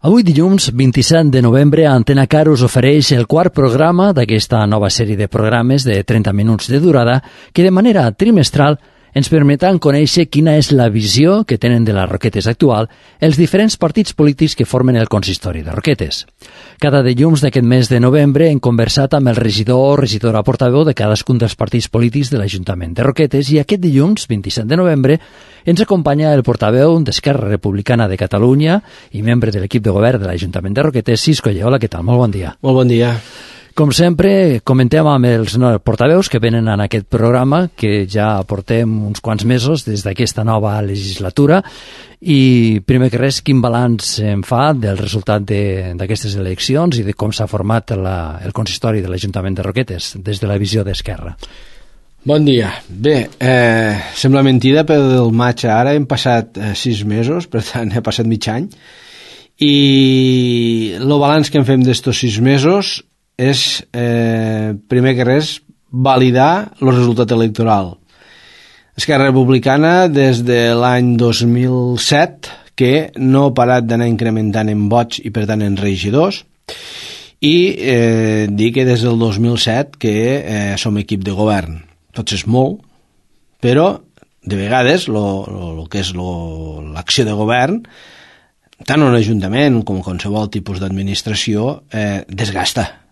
Avui dilluns 27 de novembre Antena Car us ofereix el quart programa d'aquesta nova sèrie de programes de 30 minuts de durada que de manera trimestral ens permetran conèixer quina és la visió que tenen de les Roquetes actual els diferents partits polítics que formen el consistori de Roquetes. Cada dilluns d'aquest mes de novembre hem conversat amb el regidor o regidora portaveu de cadascun dels partits polítics de l'Ajuntament de Roquetes i aquest dilluns, 27 de novembre, ens acompanya el portaveu d'Esquerra Republicana de Catalunya i membre de l'equip de govern de l'Ajuntament de Roquetes, Cisco Lle. Hola, què tal? Molt bon dia. Molt bon dia. Com sempre, comentem amb els portaveus que venen en aquest programa, que ja portem uns quants mesos des d'aquesta nova legislatura, i primer que res, quin balanç en fa del resultat d'aquestes eleccions i de com s'ha format el consistori de l'Ajuntament de Roquetes des de la visió d'Esquerra. Bon dia. Bé, sembla mentida, però del maig a ara hem passat 6 mesos, per tant, ha passat mig any, i el balanç que en fem d'estos 6 mesos és, primer que res, validar el resultat electoral. Esquerra Republicana, des de l'any 2007, que no ha parat d'anar incrementant en vots i, per tant, en regidors, i dir que des del 2007 que som equip de govern. Tots és molt, però, de vegades, el que és l'acció de govern, tant un ajuntament com qualsevol tipus d'administració, desgasta.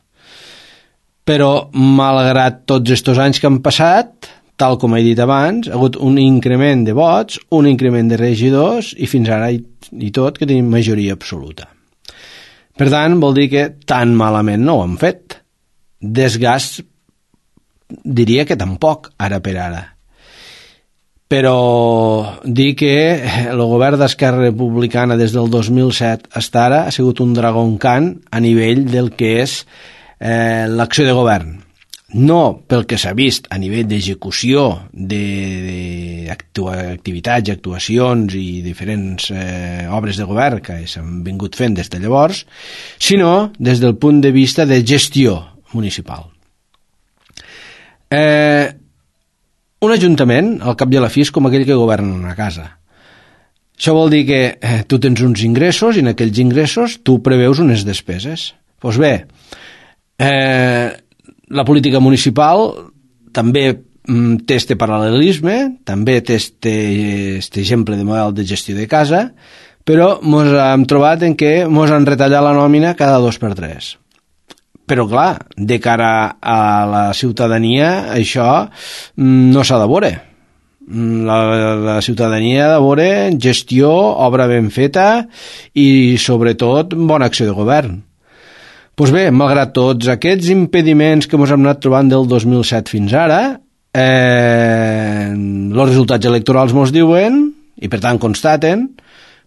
Però, malgrat tots aquests anys que han passat, tal com he dit abans, ha hagut un increment de vots, un increment de regidors i fins ara i tot que tenim majoria absoluta. Per tant, vol dir que tan malament no ho han fet. Desgast, diria que tampoc, ara per ara. Però dir que el govern d'Esquerra Republicana des del 2007 fins ara ha sigut un dragon cant a nivell del que és l'acció de govern. No pel que s'ha vist a nivell d'execució d'activitats, actuacions i diferents obres de govern que s'han vingut fent des de llavors, sinó des del punt de vista de gestió municipal. Un ajuntament, al cap i a la fi, és com aquell que governa una casa. Això vol dir que tu tens uns ingressos i en aquells ingressos tu preveus unes despeses. Doncs bé, la política municipal també té este paral·lelisme, també té este exemple de model de gestió de casa, però ens hem trobat en què ens han retallat la nòmina cada 2x3. Però clar, de cara a la ciutadania això no s'ha de veure. La ciutadania ha de veure gestió, obra ben feta i sobretot bona acció de govern. Doncs bé, malgrat tots aquests impediments que ens hem anat trobant del 2007 fins ara, els resultats electorals ens diuen, i per tant constaten,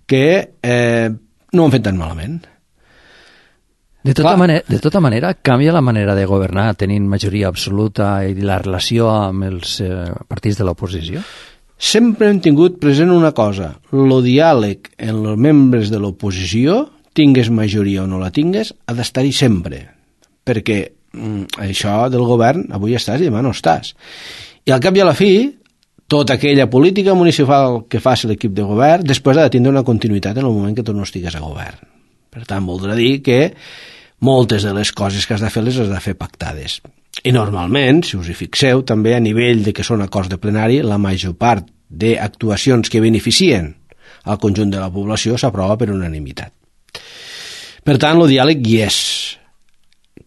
que no ho han fet tan malament. De tota manera, canvia la manera de governar tenint majoria absoluta i la relació amb els partits de l'oposició? Sempre hem tingut present una cosa, el diàleg en els membres de l'oposició, tingues majoria o no la tingues, ha d'estar-hi sempre, perquè això del govern avui estàs i demà no estàs. I al cap i a la fi, tota aquella política municipal que faci l'equip de govern després ha de tindre una continuïtat en el moment que tu no estigues a govern. Per tant, voldrà dir que moltes de les coses que has de fer les has de fer pactades. I normalment, si us hi fixeu, també a nivell de que són acords de plenari, la major part d'actuacions que beneficien al conjunt de la població s'aprova per unanimitat. Per tant, el diàleg hi és.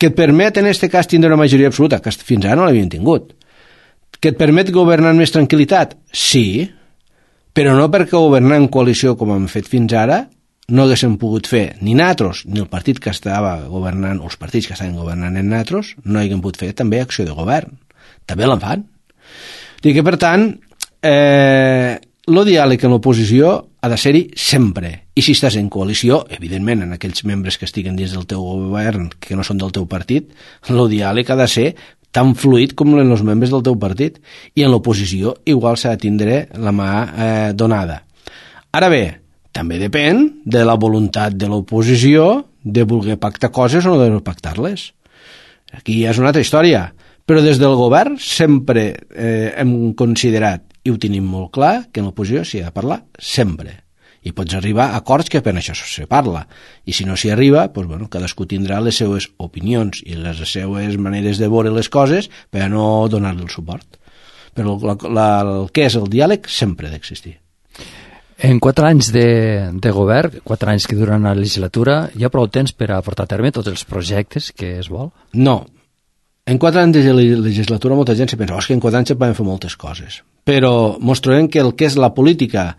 Que et permet, en aquest cas, tindre una majoria absoluta, que fins ara no l'havien tingut. Que et permet governar amb més tranquil·litat? Sí, però no perquè governar en coalició com hem fet fins ara no haguéssim pogut fer ni nosaltres, ni el partit que estava governant, o els partits que estaven governant en nosaltres, no haguem pogut fer també acció de govern. També la fan. I que, per tant, el diàleg en l'oposició ha de ser-hi sempre. I si estàs en coalició, evidentment, en aquells membres que estiguen dins del teu govern, que no són del teu partit, el diàleg ha de ser tan fluid com en els membres del teu partit. I en l'oposició igual s'ha de tindre la mà donada. Ara bé, també depèn de la voluntat de l'oposició de voler pactar coses o no de pactar-les. Aquí ja és una altra història. Però des del govern sempre hem considerat, i ho tenim molt clar, que en l'oposició s'hi ha de parlar sempre. i pots arribar a acords que per això se parla, i si no s'hi arriba, doncs, bueno, cadascú tindrà les seues opinions i les seues maneres de veure les coses per a no donar-li el suport. Però el que és el diàleg sempre ha d'existir. En 4 anys de govern, 4 anys que duren la legislatura, hi ha prou temps per a portar a terme tots els projectes que es vol? No. En 4 anys de legislatura molta gent se pensa que en 4 anys se poden fer moltes coses. Però mos trobem que el que és la política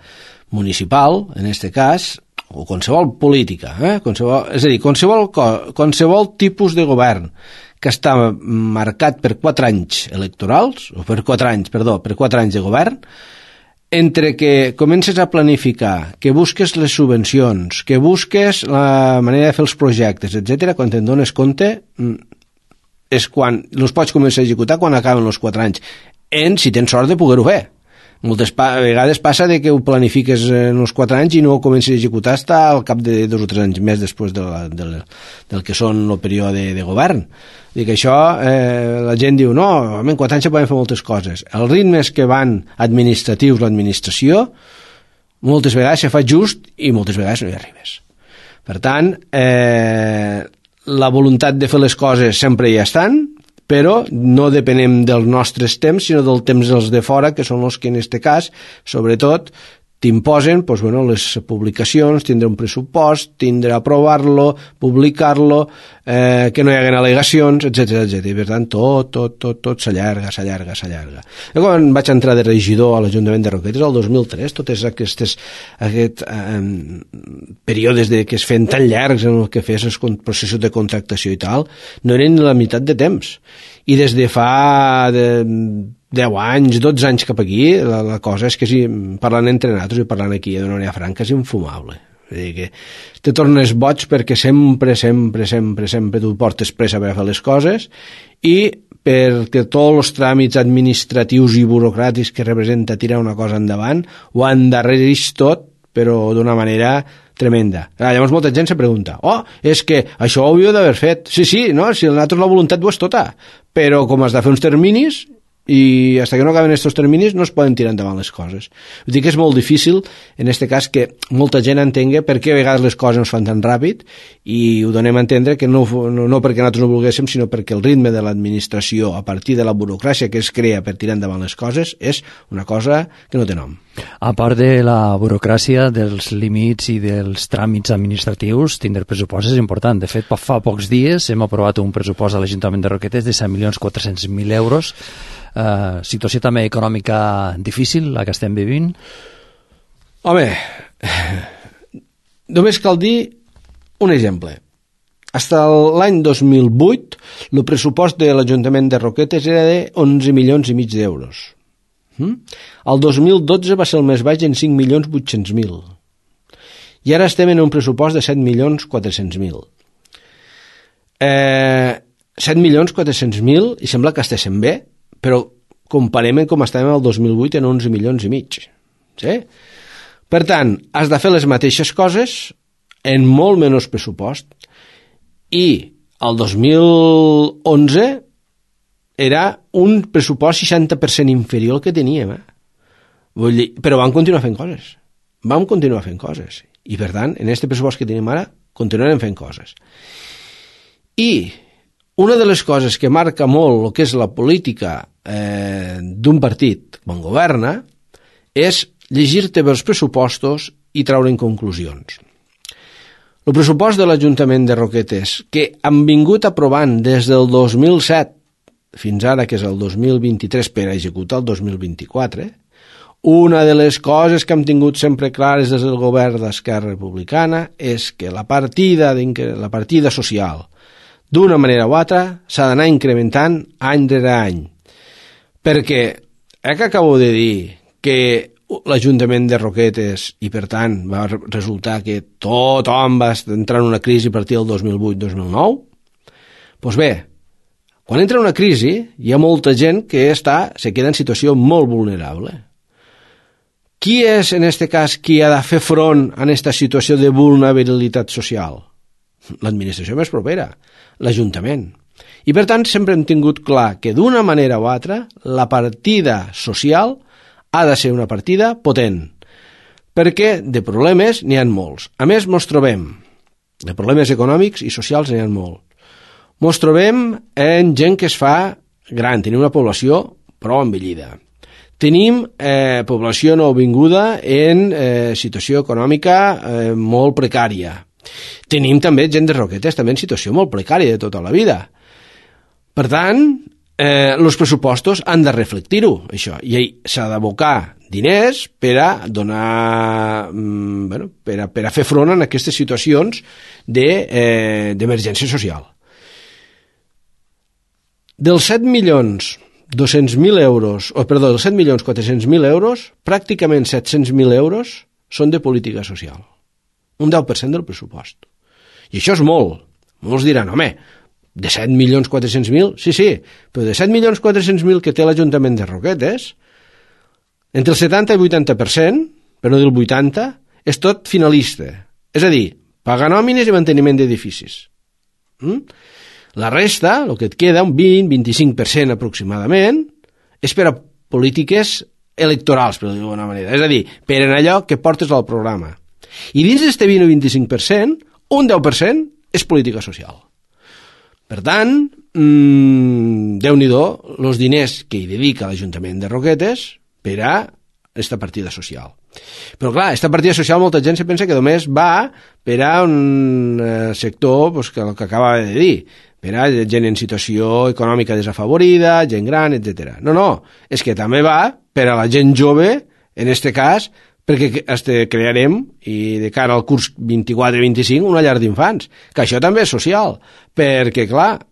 municipal, en aquest cas, o qualsevol política, és a dir, qualsevol tipus de govern que està marcat per 4 anys electorals, o per 4 anys de govern, entre que comences a planificar, que busques les subvencions, que busques la manera de fer els projectes, etc., quan te'n dones compte, és quan els pots començar a executar quan acaben els 4 anys, si tens sort de poder-ho fer. Moltes vegades passa de que ho planifiques en els 4 anys i no ho comences a executar fins al cap de 2 o 3 anys més després del que són el període de govern. Dic que això, la gent diu, no, en 4 anys se poden fer moltes coses. Els ritmes que van administratius, l'administració, moltes vegades se fa just i moltes vegades no hi arribes. Per tant, la voluntat de fer les coses sempre hi estan, però no depenem dels nostres temps, sinó del temps dels de fora, que són els que en aquest cas, sobretot, t'imposen les publicacions, tindre un pressupost, tindre aprovar-lo, publicar-lo, que no hi haguen al·legacions, etc. I per tant, tot s'allarga. Jo quan vaig entrar de regidor a l'Ajuntament de Roquetes el 2003, tots aquests períodes que es feien tan llargs en el que fes els processos de contractació i tal, no eren ni la meitat de temps. I des de fa 10 anys, 12 anys cap aquí, la cosa és que si parlant entre nosaltres i parlant aquí d'una manera franca és infumable. És a dir, que te tornes boig perquè sempre tu portes pressa per a fer les coses i perquè tots els tràmits administratius i burocràtics que representa tirar una cosa endavant ho endarrereix tot, però d'una manera tremenda. Llavors molta gent se pregunta, és que això ho hauríeu d'haver fet. Sí, no, si nosaltres la voluntat ho és tota, però com has de fer uns terminis i fins que no acaben aquests terminis no es poden tirar endavant les coses. Vull dir que és molt difícil, en aquest cas, que molta gent entengui per què a vegades les coses no es fan tan ràpid i ho donem a entendre que no perquè nosaltres no volguéssim, sinó perquè el ritme de l'administració a partir de la burocràcia que es crea per tirar endavant les coses és una cosa que no té nom. A part de la burocràcia, dels límits i dels tràmits administratius, tindre pressupost és important. De fet, fa pocs dies hem aprovat un pressupost a l'Ajuntament de Roquetes de 7.400.000 euros. Situació també econòmica difícil, la que estem vivint? Home, només cal dir un exemple. Fins l'any 2008, el pressupost de l'Ajuntament de Roquetes era de 11,5 milions d'euros. El 2012 va ser el més baix en 5.800.000. I ara estem en un pressupost de 7.400.000. 7.400.000 i sembla que estiguem bé, però comparem com estàvem el 2008 en 11,5 milions. Sí? Per tant, has de fer les mateixes coses en molt menys pressupost. I el 2011 era un pressupost 60% inferior al que teníem. Vull dir, però vam continuar fent coses. I, per tant, en aquest pressupost que tenim ara, continuarem fent coses. I una de les coses que marca molt el que és la política d'un partit quan governa és llegir-te bé els pressupostos i treure'n conclusions. El pressupost de l'Ajuntament de Roquetes, que han vingut aprovant des del 2007 fins ara, que és el 2023, per executar el 2024, una de les coses que hem tingut sempre clares des del govern d'Esquerra Republicana és que la partida social, d'una manera o altra, s'ha d'anar incrementant any rere any. Perquè, que acabo de dir que l'Ajuntament de Roquetes, i per tant va resultar que tothom va entrar en una crisi a partir del 2008-2009, doncs bé, quan entra una crisi hi ha molta gent que se queda en situació molt vulnerable. Qui és, en aquest cas, qui ha de fer front a aquesta situació de vulnerabilitat social? L'administració més propera, l'Ajuntament. I per tant sempre hem tingut clar que d'una manera o altra la partida social ha de ser una partida potent, perquè de problemes n'hi ha molts. A més, mos trobem, de problemes econòmics i socials n'hi ha molts. Mos trobem en gent que es fa gran, tenim una població prou envellida. Tenim població nouvinguda en situació econòmica molt precària. Tenim també gent de Roquetes també en situació molt precària de tota la vida. Per tant, els pressupostos han de reflectir-ho, això, i s'ha d'abocar diners per a donar, per a fer front a aquestes situacions d'emergència social. Dels 7.200.000 euros, dels 7.400.000 euros, pràcticament 700.000 euros són de política social. Un 10% del pressupost. I això és molt. Molts diran, home, de 7.400.000? Sí, però de 7.400.000 que té l'Ajuntament de Roquetes, entre el 70 i el 80%, per no dir el 80%, és tot finalista. És a dir, pagar nòmines i manteniment d'edificis. La resta, el que et queda, un 20-25% aproximadament, és per a polítiques electorals, per dir-ho d'alguna manera. És a dir, per en allò que portes al programa. I dins d'aquest 20 o 25%, un 10% és política social. Per tant, Déu-n'hi-do els diners que hi dedica l'Ajuntament de Roquetes per a aquesta partida social. Però clar, aquesta partida social molta gent se pensa que només va per a un sector que el que acaba de dir, per a gent en situació econòmica desafavorida, gent gran, etc. No, és que també va per a la gent jove, en aquest cas, perquè crearem, i de cara al curs 24-25, una llar d'infants, que això també és social, perquè, clar,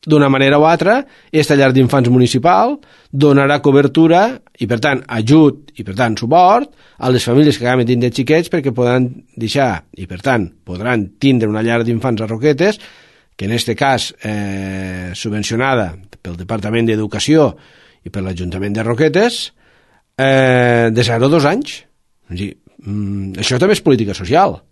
d'una manera o altra, aquesta llar d'infants municipal donarà cobertura i, per tant, ajut i, per tant, suport a les famílies que acaben tindre xiquets perquè podran deixar i, per tant, podran tindre una llar d'infants a Roquetes, que en aquest cas subvencionada pel Departament d'Educació i per l'Ajuntament de Roquetes, de 0 a 2 anys. Això també és política social.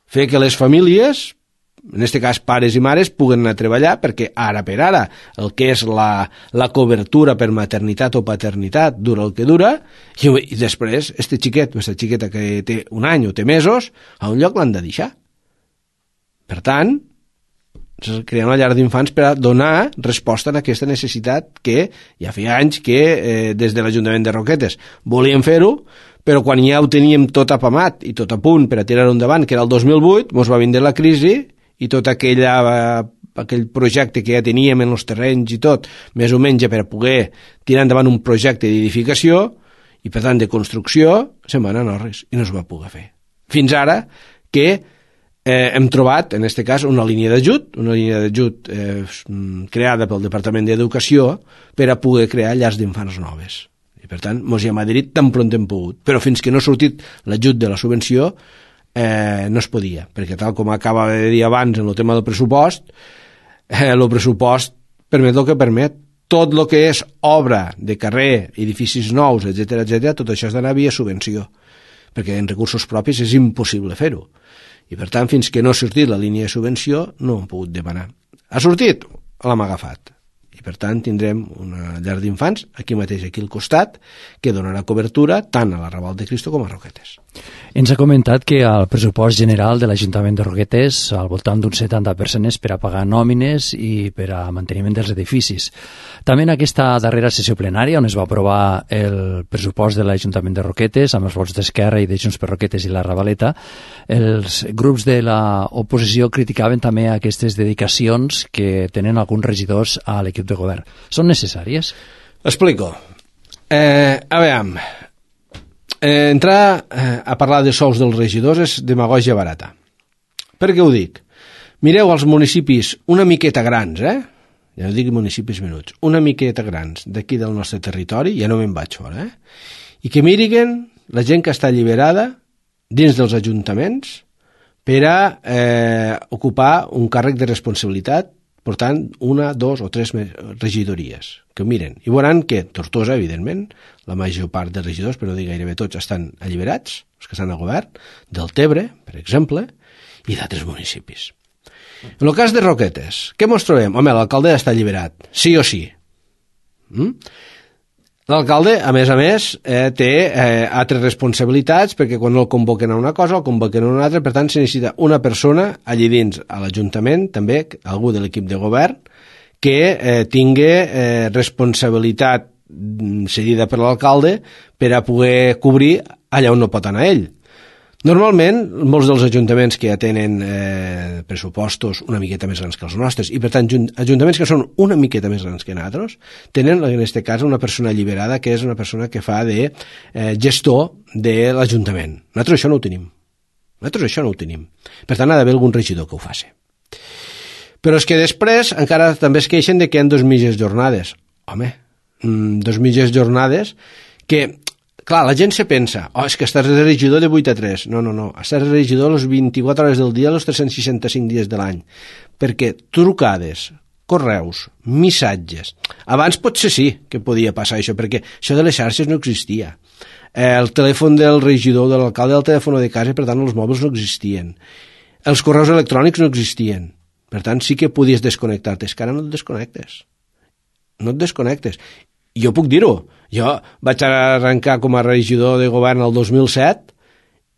Fer que les famílies, en aquest cas pares i mares, puguen anar a treballar perquè ara per ara el que és la cobertura per maternitat o paternitat dura el que dura i després este xiquet o aquesta xiqueta que té un any o té mesos a un lloc l'han de deixar. Per tant, crear una llar d'infants per a donar resposta a aquesta necessitat que ja feia anys que des de l'Ajuntament de Roquetes volíem fer-ho, però quan ja ho teníem tot apamat i tot a punt per a tirar-ho endavant, que era el 2008, ens va vindre la crisi i tot aquell projecte que ja teníem en els terrenys i tot, més o menys per a poder tirar endavant un projecte d'edificació i per tant de construcció, se'n va anar a Norris i no es va poder fer. Fins ara que hem trobat, en aquest cas, una línia d'ajut creada pel Departament d'Educació per a poder crear llars d'infants noves. I per tant, ens hi hem adherit tan pront hem pogut. Però fins que no ha sortit l'ajut de la subvenció, no es podia, perquè tal com acaba de dir abans en el tema del pressupost, el pressupost permet el que permet. Tot el que és obra de carrer, edificis nous, etc., tot això has d'anar via subvenció, perquè en recursos propis és impossible fer-ho. I per tant, fins que no ha sortit la línia de subvenció, no hem pogut demanar. Ha sortit? L'hem agafat. I per tant, tindrem una llar d'infants aquí mateix, aquí al costat, que donarà cobertura tant a la Raval de Cristo com a Roquetes. Ens ha comentat que el pressupost general de l'Ajuntament de Roquetes al voltant d'un 70% és per a pagar nòmines i per a manteniment dels edificis. També en aquesta darrera sessió plenària, on es va aprovar el pressupost de l'Ajuntament de Roquetes, amb els vots d'Esquerra i de Junts per Roquetes i la Ravaleta, els grups de l'oposició criticaven també aquestes dedicacions que tenen alguns regidors a l'equip de govern. Són necessàries? Explico. A veure, entrar a parlar de sous dels regidors és demagògia barata. Per què ho dic? Mireu els municipis una miqueta grans, ja no dic municipis menuts, una miqueta grans d'aquí del nostre territori, ja no me'n vaig fora, i que miriguen la gent que està alliberada dins dels ajuntaments per a ocupar un càrrec de responsabilitat portant 1, 2 o 3 regidories, que ho miren. I veuran que Tortosa, evidentment, la major part de regidors, però dir gairebé tots, estan alliberats, els que estan al govern, del Tebre, per exemple, i d'altres municipis. En el cas de Roquetes, què mos trobem? Home, l'alcalde està alliberat, sí o sí. L'alcalde, a més, té altres responsabilitats, perquè quan el convoquen a una cosa, el convoquen a una altra, per tant, se necessita una persona allí dins, a l'Ajuntament, també, algú de l'equip de govern, que tingui responsabilitat cedida per l'alcalde per a poder cobrir allà on no pot anar ell. Normalment, molts dels ajuntaments que ja tenen pressupostos una miqueta més grans que els nostres, i per tant, ajuntaments que són una miqueta més grans que nosaltres, tenen, en aquest cas, una persona alliberada, que és una persona que fa de gestor de l'Ajuntament. Nosaltres això no ho tenim. Per tant, ha d'haver algun regidor que ho faci. Però és que després encara també es queixen de que hi ha 2 mitges jornades. Home, 2 mitges jornades que... Clar, la gent se pensa, és que estàs de regidor de 8 a 3. No, estàs de regidor les 24 hores del dia, els 365 dies de l'any. Perquè trucades, correus, missatges... Abans potser sí que podia passar això, perquè això de les xarxes no existia. El telèfon del regidor, de l'alcalde, el telèfon de casa, per tant, els mòbils no existien. Els correus electrònics no existien. Per tant, sí que podies desconnectar-te. És que ara no et desconnectes. Jo puc dir-ho. Jo vaig arrencar com a regidor de govern el 2007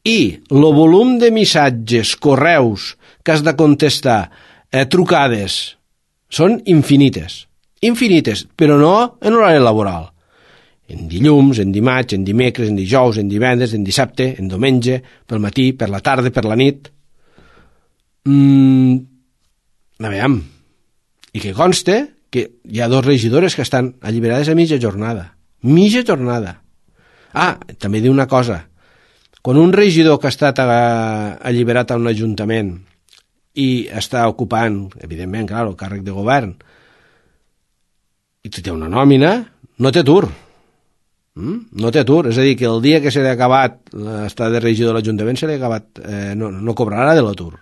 i el volum de missatges, correus que has de contestar, trucades, són infinites, però no en horari laboral. En dilluns, en dimarts, en dimecres, en dijous, en divendres, en dissabte, en diumenge, pel matí, per la tarda, per la nit. Aviam. I que conste que hi ha 2 regidores que estan alliberades a mitja jornada. També diu una cosa. Quan un regidor que ha estat alliberat a un ajuntament i està ocupant, evidentment, clar, el càrrec de govern, i té una nòmina, no té atur. No té atur. És a dir, que el dia que se li ha acabat l'estat de regidor de l'Ajuntament se li ha acabat, no cobrarà de l'atur.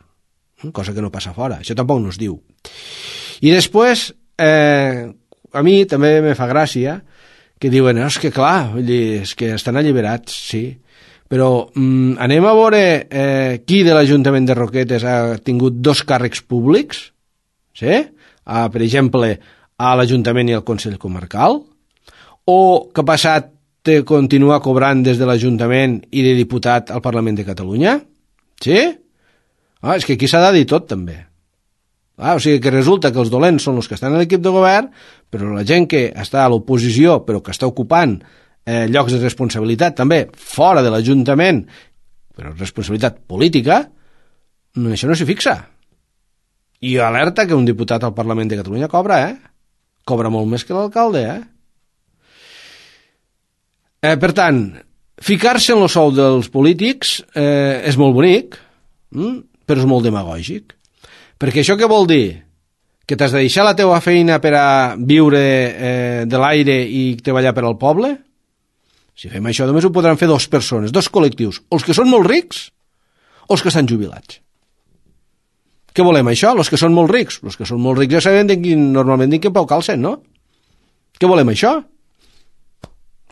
Cosa que no passa fora. Això tampoc no es diu. I després... a mi també me fa gràcia que diuen, és que clar, és que estan alliberats, sí, però anem a veure qui de l'Ajuntament de Roquetes ha tingut 2 càrrecs públics, sí? Per exemple, a l'Ajuntament i al Consell Comarcal, o que ha passat de continuar cobrant des de l'Ajuntament i de diputat al Parlament de Catalunya, sí? És que aquí s'ha de dir tot també. O sigui que resulta que els dolents són els que estan a l'equip de govern, però la gent que està a l'oposició, però que està ocupant llocs de responsabilitat també fora de l'Ajuntament, però responsabilitat política, això no s'hi fixa. I alerta que un diputat al Parlament de Catalunya cobra, Cobra molt més que l'alcalde, Per tant, ficar-se en el sou dels polítics és molt bonic, però és molt demagògic. Perquè això què vol dir? Que t'has de deixar la teua feina per a viure de l'aire i treballar per al poble? Si fem això, només ho podran fer 2 persones, 2 col·lectius, els que són molt rics o els que estan jubilats. Què volem, això? Els que són molt rics? Els que són molt rics ja sabem normalment quin pau calcen, no? Què volem, això?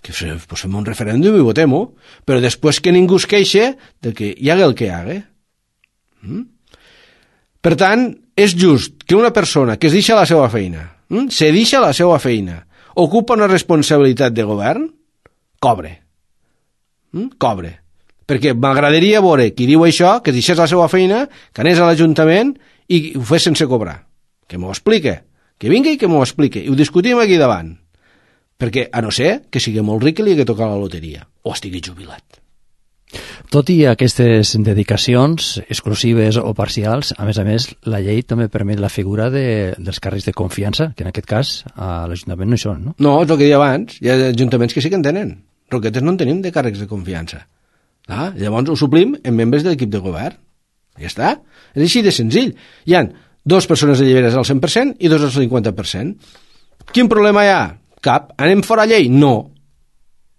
Que fem un referèndum i votem-ho, però després que ningú es queixe de que hi haga el que hi haga. Per tant, és just que una persona que es deixa la seva feina, ocupa una responsabilitat de govern, cobre. Perquè m'agradaria veure qui diu això, que es deixés la seva feina, que anés a l'Ajuntament i ho fes sense cobrar. Que m'ho explique. Que vingui i que m'ho explique. I ho discutim aquí davant. Perquè, a no ser que sigui molt ric i li hagi tocat la loteria, o estigui jubilat. Tot i aquestes dedicacions exclusives o parcials, a més, la llei també permet la figura dels càrrecs de confiança, que en aquest cas a l'Ajuntament no hi són, no? No, és el que deia abans. Hi ha ajuntaments que sí que en tenen. Roquetes no en tenim de càrrecs de confiança. Llavors ho suplim en membres de l'equip de govern. Ja està. És així de senzill. Hi ha 2 persones alliberades al 100% i 2 al 50%. Quin problema hi ha? Cap. Anem fora llei? No.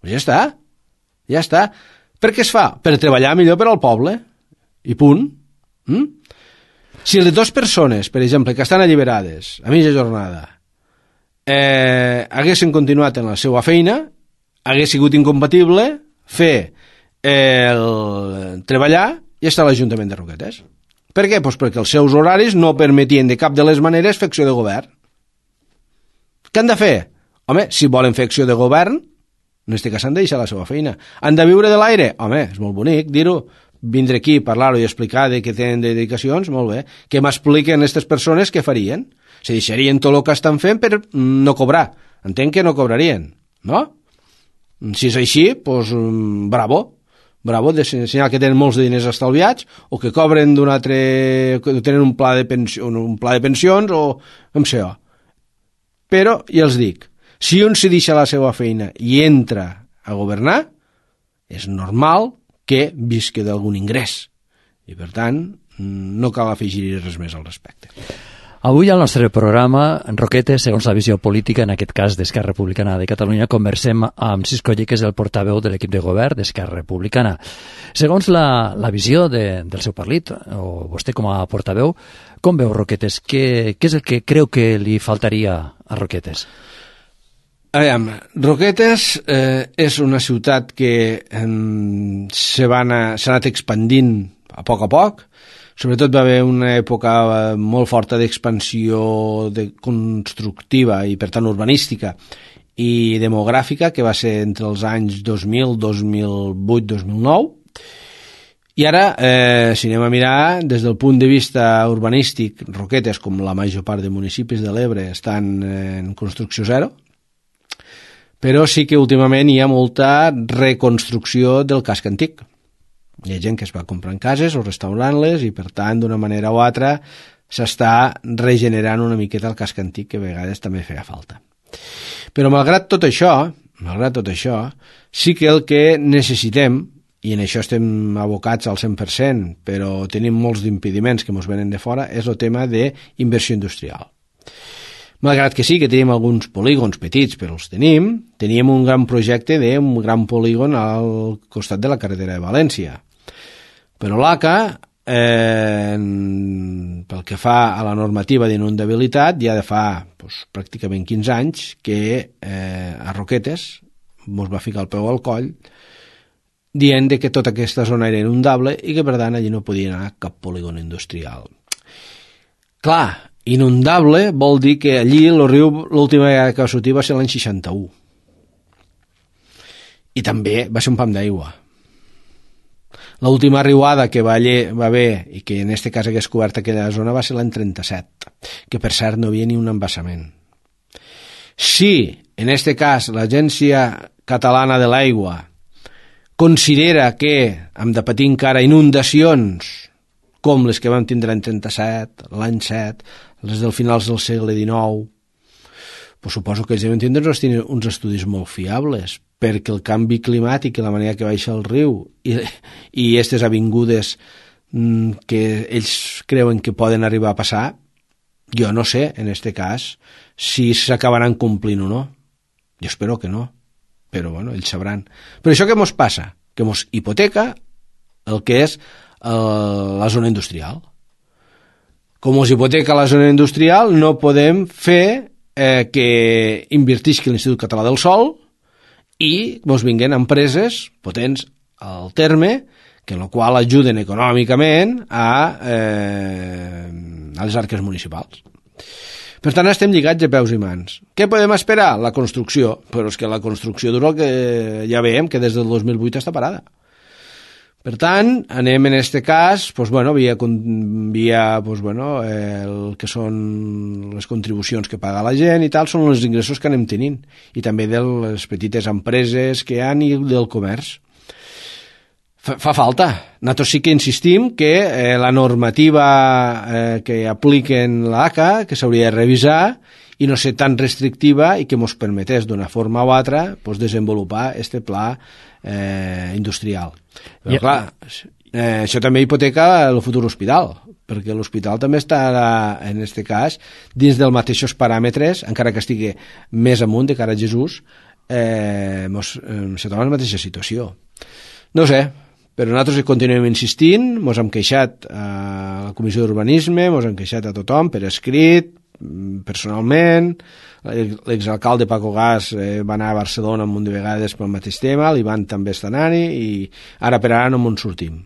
Ja està. Per què es fa? Per treballar millor per al poble. I punt. Si les 2 persones, per exemple, que estan alliberades a mitja jornada haguessin continuat en la seva feina, hagués sigut incompatible fer treballar i estar a l'Ajuntament de Roquetes. Per què? Doncs perquè els seus horaris no permetien de cap de les maneres fer acció de govern. Què han de fer? Home, si volen fer acció de govern, En aquest cas han de deixar la seva feina. Han de viure de l'aire? Home, és molt bonic dir-ho. Vindre aquí, parlar-ho i explicar de què tenen de dedicacions, molt bé. Que m'expliquen aquestes persones què farien. Se deixarien tot el que estan fent per no cobrar. Entenc que no cobrarien, no? Si és així, doncs bravo. Bravo, de senyal que tenen molts de diners estalviats o que cobren d'un altre... que tenen un pla de pensions o com sé jo. Però, ja els dic, si un se deixa la seva feina i entra a governar, és normal que visqui d'algun ingrés. I, per tant, no cal afegir res més al respecte. Avui al nostre programa, Roquetes, segons la visió política, en aquest cas d'Esquerra Republicana de Catalunya, conversem amb Cisco Oller, que és el portaveu de l'equip de govern d'Esquerra Republicana. Segons la visió del seu partit, o vostè com a portaveu, com veu Roquetes? Què és el que creu que li faltaria a Roquetes? Aviam, Roquetes és una ciutat que s'ha anat expandint a poc, sobretot va haver una època molt forta d'expansió constructiva i per tant urbanística i demogràfica, que va ser entre els anys 2000, 2008, 2009, i ara, si anem a mirar des del punt de vista urbanístic, Roquetes, com la major part de municipis de l'Ebre, estan en construcció zero, però sí que últimament hi ha molta reconstrucció del casc antic. Hi ha gent que es va comprant cases o restaurant-les i, per tant, d'una manera o altra, s'està regenerant una miqueta el casc antic, que a vegades també feia falta. Però, malgrat tot això, sí que el que necessitem, i en això estem abocats al 100%, però tenim molts d'impediments que ens venen de fora, és el tema d'inversió industrial. Malgrat que sí que tenim alguns polígons petits, però els teníem un gran projecte d'un gran polígon al costat de la carretera de València. Però l'ACA, pel que fa a la normativa d'inundabilitat, ja de fa pràcticament 15 anys que a Roquetes ens va ficar el peu al coll dient que tota aquesta zona era inundable i que per tant allí no podia anar cap polígon industrial. Clar, inundable vol dir que allí el riu l'última vegada que va sortir va ser l'any 61 i també va ser un pam d'aigua. L'última riuada que va haver i que en aquest cas hagués cobert aquella zona va ser l'any 37, que per cert no hi havia ni un embassament. Si en aquest cas l'Agència Catalana de l'Aigua considera que hem de patir encara inundacions com les que vam tindre l'any 37, l'any 7, les del finals del segle XIX, pues suposo que ells deuen tindre uns estudis molt fiables, perquè el canvi climàtic i la manera que baixa el riu i aquestes avingudes que ells creuen que poden arribar a passar, jo no sé, en aquest cas, si s'acabaran complint o no. Jo espero que no, però bueno, ells sabran. Però això què mos passa? Que mos hipoteca el que és la zona industrial. Com mos hipoteca la zona industrial, no podem fer que invertisqui l'Institut Català del Sòl i mos vinguen empreses potents al terme, que en la qual ajuden econòmicament a les arques municipals. Per tant, estem lligats de peus i mans. Què podem esperar? La construcció. Però és que la construcció dura el que ja veiem, que des del 2008 està parada. Per tant, anem en aquest cas via el que són les contribucions que paga la gent i tal, són els ingressos que anem tenint, i també de les petites empreses que hi ha i del comerç. Fa falta. Nosaltres sí que insistim que la normativa que apliquen l'ACA, que s'hauria de revisar i no ser tan restrictiva i que ens permetés d'una forma o altra desenvolupar aquest pla industrial. Però clar, això també hipoteca el futur hospital, perquè l'hospital també està, en aquest cas, dins dels mateixos paràmetres, encara que estigui més amunt de cara a Jesús, se troba en la mateixa situació. No sé, però nosaltres continuem insistint, ens hem queixat a la Comissió d'Urbanisme, ens hem queixat a tothom per escrit, personalment. L'exalcalde Paco Gas va anar a Barcelona un munt de vegades pel mateix tema, l'Ivan també està anant-hi i ara per ara no ens sortim.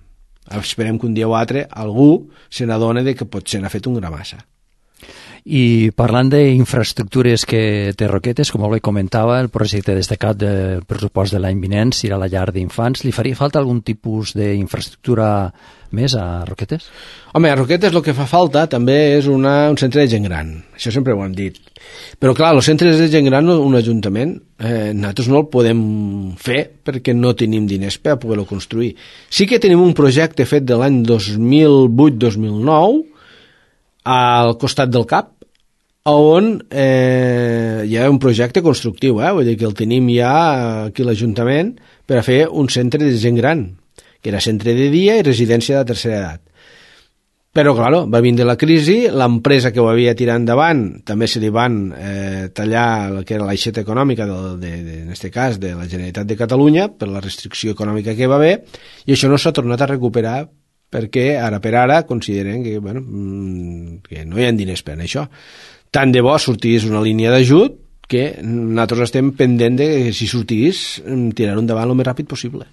Esperem que un dia o altre algú se n'adoni que potser n'ha fet un gra massa. I parlant d'infraestructures que té Roquetes, com bé comentava, el projecte destacat del pressupost de l'any vinent serà la llar d'infants. Li faria falta algun tipus d'infraestructura més a Roquetes? Home, a Roquetes el que fa falta també és un centre de gent gran. Això sempre ho hem dit. Però clar, els centres de gent gran, un ajuntament, nosaltres no el podem fer perquè no tenim diners per a poder-lo construir. Sí que tenim un projecte fet de l'any 2008-2009 al costat del CAP, on hi ha un projecte constructiu, vull dir que el tenim ja aquí a l'Ajuntament per a fer un centre de gent gran, que era centre de dia i residència de tercera edat. Però, clar, va vindre la crisi, l'empresa que ho havia tirat endavant també se li van tallar el que era l'aixeta econòmica, en aquest cas, de la Generalitat de Catalunya, per la restricció econòmica que va haver, i això no s'ha tornat a recuperar perquè ara per ara consideren que, bueno, que no hi ha diners per això. Tant de bo sortís una línia d'ajut que nosaltres estem pendent de que si sortís tirar-ho endavant el més ràpid possible.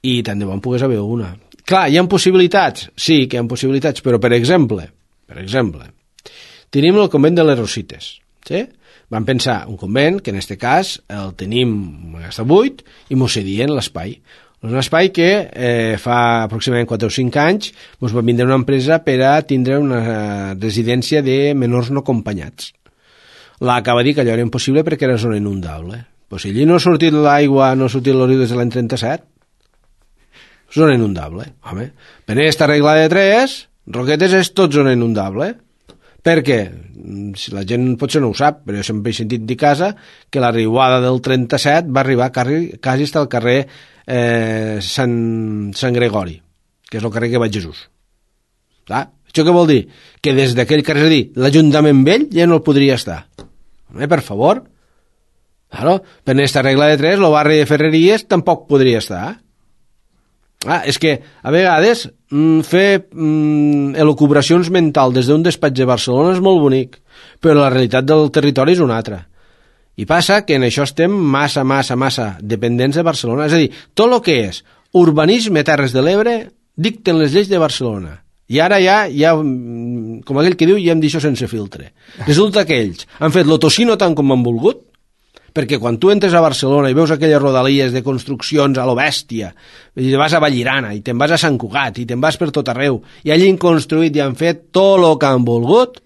I tant de bo en pogués haver una. Clar, hi ha possibilitats? Sí que hi ha possibilitats, però per exemple, tenim el convent de les Rosites, sí? Vam pensar un convent, que en aquest cas el tenim està buit, i mos cedien l'espai. Un espai que fa aproximadament 4 o 5 anys mos va vindre una empresa per a tindre una residència de menors no acompanyats. L'acaba de dir que allò era impossible perquè era zona inundable. Però si allí no ha sortit l'aigua, no ha sortit el riu des de l'any 37, zona inundable, home. Per aquesta regla de 3, Roquetes és tot zona inundable. Per què? Si la gent potser no ho sap, però jo sempre he sentit dir casa que la riuada del 37 va arribar quasi fins al carrer Sant Gregori, que és el carrer que va Jesús. Clar, això què vol dir? Que des d'aquell carrer, és a dir, l'Ajuntament vell ja no el podria estar. Home, per favor. Claro, per aquesta regla de 3, el barri de Ferreries tampoc podria estar. És que a vegades fer elucubracions mentals des d'un despatx de Barcelona és molt bonic, però la realitat del territori és una altra. I passa que en això estem massa dependents de Barcelona. És a dir, tot el que és urbanisme a Terres de l'Ebre dicten les lleis de Barcelona. I ara ja, com aquell que diu, ja hem dit això sense filtre. Resulta que ells han fet l'otocino tant com han volgut, perquè quan tu entres a Barcelona i veus aquelles rodalies de construccions a lo bèstia, i te vas a Vallirana, i te'n vas a Sant Cugat, i te'n vas per tot arreu, i allí han construït i han fet tot el que han volgut,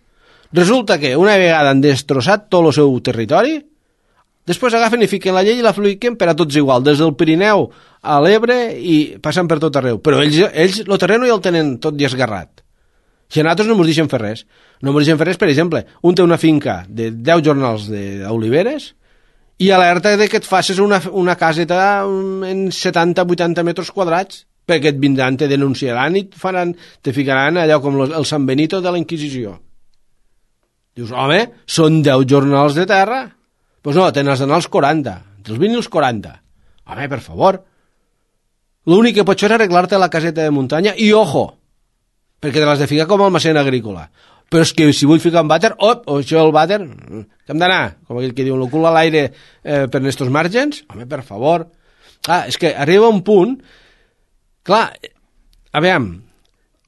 resulta que una vegada han destrossat tot el seu territori, després agafen i fiquen la llei i la fliquen per a tots igual, des del Pirineu a l'Ebre i passen per tot arreu. Però ells el terreno ja el tenen tot esgarrat. Si a nosaltres no ens deixen fer res. No ens deixen fer res, per exemple, un té una finca de 10 jornals d'oliveres i alerta de que et facis una caseta en 70-80 metres quadrats, perquè et vindran, te denunciaran i te ficaran allò com el San Benito de la Inquisició. Dius, home, són 10 jornals de terra. Doncs no, tenen els d'anar als 40, entre els 20 i els 40. Home, per favor. L'únic que pots fer és arreglar-te la caseta de muntanya i, ojo, perquè te l'has de ficar com a almacén agrícola. Però és que si vull ficar un vàter, això el vàter, que hem d'anar, com aquell que diu, el cul a l'aire per estos màrgens, home, per favor. Clar, és que arriba un punt, clar, a veure,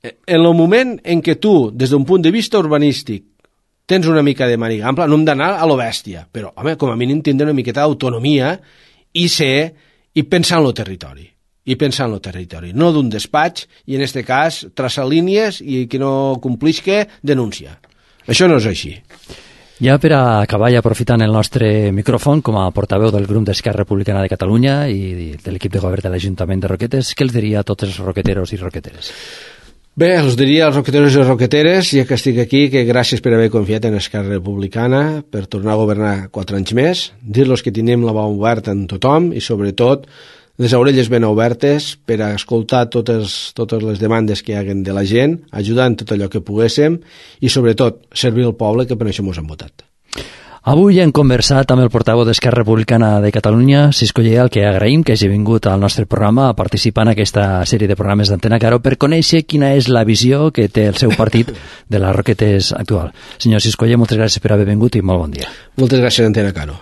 en el moment en què tu, des d'un punt de vista urbanístic, tens una mica de màniga ampla, no hem d'anar a lo bèstia, però, home, com a mínim tindre una miqueta d'autonomia i pensar en el territori. No d'un despatx, i en aquest cas traçar línies i qui no complisca denuncia. Això no és així. Ja per a acabar, i aprofitant el nostre micròfon com a portaveu del grup d'Esquerra Republicana de Catalunya i de l'equip de govern de l'Ajuntament de Roquetes, què els diria a tots els roqueteros i roqueteres? Bé, els diria als roqueteros i roqueteres, ja que estic aquí, que gràcies per haver confiat en Esquerra Republicana, per tornar a governar 4 anys més, dir-los que tenim la mà oberta en tothom i, sobretot, les orelles ben obertes per a escoltar totes les demandes que hi haguen de la gent, ajudar en tot allò que poguéssim i, sobretot, servir al poble, que per això ens han votat. Avui hem conversat amb el portaveu d'Esquerra Republicana de Catalunya, Cisco Lleal, que agraïm que hagi vingut al nostre programa a participar en aquesta sèrie de programes d'Antena Caro per conèixer quina és la visió que té el seu partit de les Roquetes actual. Senyor Cisco Lleal, moltes gràcies per haver vingut i molt bon dia. Moltes gràcies, Antena Caro.